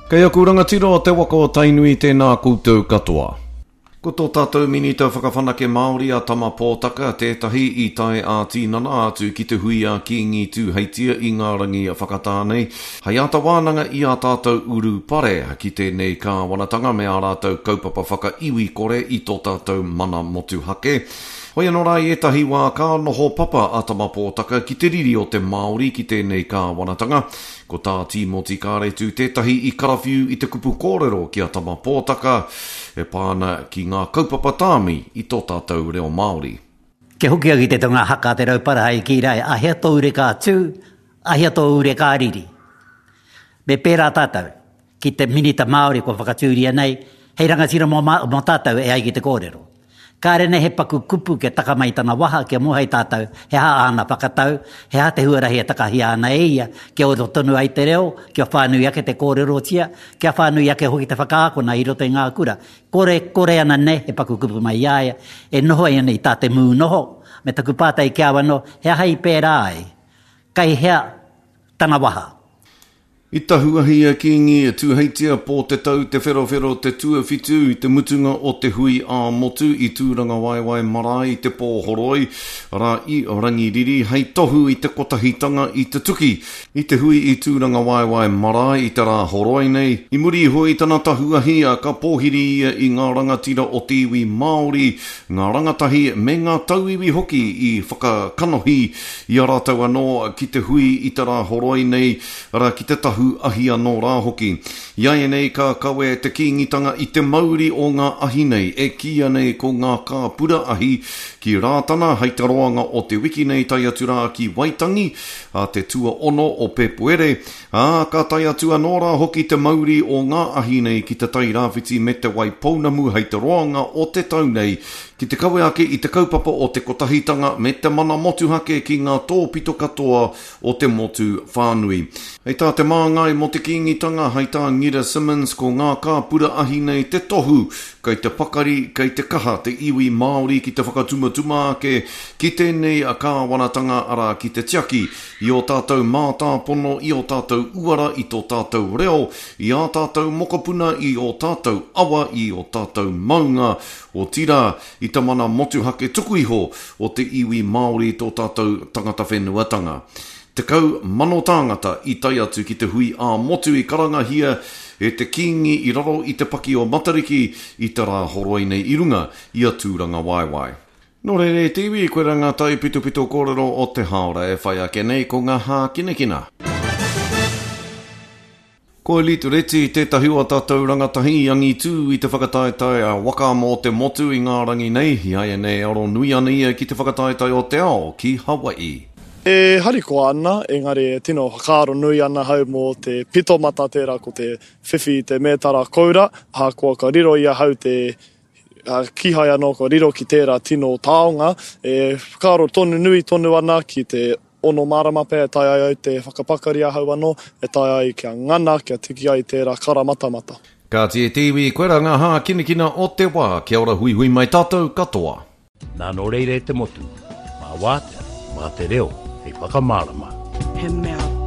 Kei aku rangatira o te waka o Tainui tēnā koutou katoa. Ko tō tātou Minita Whakawhanake Māori a Tama Pōtaka tētahi i tae ā-tīnana atu ki te hui a Kīngi Tūheitia i ngā rangi whakatā nei, hei āta wānanga i ā tātou urupare ki tēnei kāwanatanga me ā rātou kaupapa whakaiwi kore i tō tātou mana motuhake. Hoi anō rā i ētahi wā ka noho papa a Tama Pōtaka ki te riri o te Māori ki tēnei kāwanatanga. Ko tā Tīmoti Kāretu tētahi i karawhiu i te kupu kōrero ki a Tama Pōtaka e pā ana ki ngā kaupapa tāmi i tō tātou reo Māori. Kia hoki au ki te tonga haka a Te Rauparaha i kī rā, Ahea tō ure ka tū, ahea tō ure ka riri. Me pērā tātou, ki te Minita Māori kua whakatūria nei, hei rangatira mō, mō tātou e ai ki te kōrero. Kāre nei he paku kupu kia taka mai tana waha kia moe ai tātou he aha āna whakatau, he aha te huarahi e takahia ana e ia kia ora tonu ai te reo, kia whānui ake te kōrerotia, kia whānui ake hoki te whakaakona i roto i ngā kura. Kore, kore ana nei he paku kupu mai i a ia, e noho ai ana i tā te mū noho, me taku pātai ki a au anō, he aha i pērā ai? Kai hea tana waha? I tahu ahi a Kīngi Tūheitia Pōtetau Te Wherowhero Te Tuawhitu i te mutunga o te hui ā-motu i Tūrangawaewae Marae i Te Pōhoroi, arā, i Rangiriri, hei tohu i te kotahitanga i te tuki i te hui i Tūrangawaewae Marae i te rā horoi nei. I muri iho i tana tahu ahi, ka pōhiri ia i ngā rangatira o te iwi Māori, ngā rangatahi me ngā tauiwi hoki i whakakanohi i a rātou anō ki te hui i te rā horoi nei, arā, ki te tahu ahi anō rā hoki. Iaianei ka kawe te Kīngitanga i te mauri o ngā ahi nei, e kīia nei ko ngā kāpura ahi, ki Rātana hei te roanga o te wiki nei tae atu rā ki Waitangi, ā te tuaono o Pēpuere, ā, ka tae atu anō rā hoki te mauri o ngā ahi nei ki Te Tai Rāwhiti me Te Wai Pounamu hei te roanga o te tau nei, ki te kawe ake i te kaupapa o te kotahitanga me te mana motuhake ki ngā tōpito katoa o te motu whānui. Hei tā te māngai mō te Kīngitanga, hei tā Ngira Simmonds, ko ngā kāpura ahi nei te tohu kei te pakari, kei te kaha te iwi Māori ki te whakatumatuma ake ki tēnei kāwanatanga, arā, ki te tiaki i ō tātou mātāpono, i ō tātou uara, i tō tātou reo, i ā tātou mokopuna, i ō tātou awa, i ō tātou maunga, otirā, i te mana motuhake tuku iho o te iwi Māori tō tātou tangata whenuatanga. 10,000 tāngata i tae atu ki te hui ā-motu i karangahia e te Kīngi i raro i te paki o Matariki i te rā horoi nei i runga i a Tūrangawaewae. Nō reira e te iwi, koirā ngā taipitopito kōrero o te hāora e whai ake nei ko ngā hākinakina. Ko Elite Reti tētahi o a tātou rangatahi i angitū i te whakataetae a Waka mō te Motu i ngā rangi nei, i āianei e aro nui ana ia ki te whakataetae o te ao ki Hawaii. E harikoa ana, engari e tino whakaaro nui ana hau mō te pito mata tērā ko te whiwhi i te mētara koura, ahakoa ka riro i ahau te kīhai anō kua riro ki tērā tino taonga, e whakaaro tonu nui tonu ana ki te ono marama pea e taea ai au te whakapakari ahau anō, e taea ai kia ngana, kia tiki ai tērā kara matamata. Kāti e te iwi, koirā ngā hākinakina o te wā. Kia ora huihui mai tātou katoa. Nā nō reira e te motu, mā Wātea, mā te reo hei whakamārama. He mea.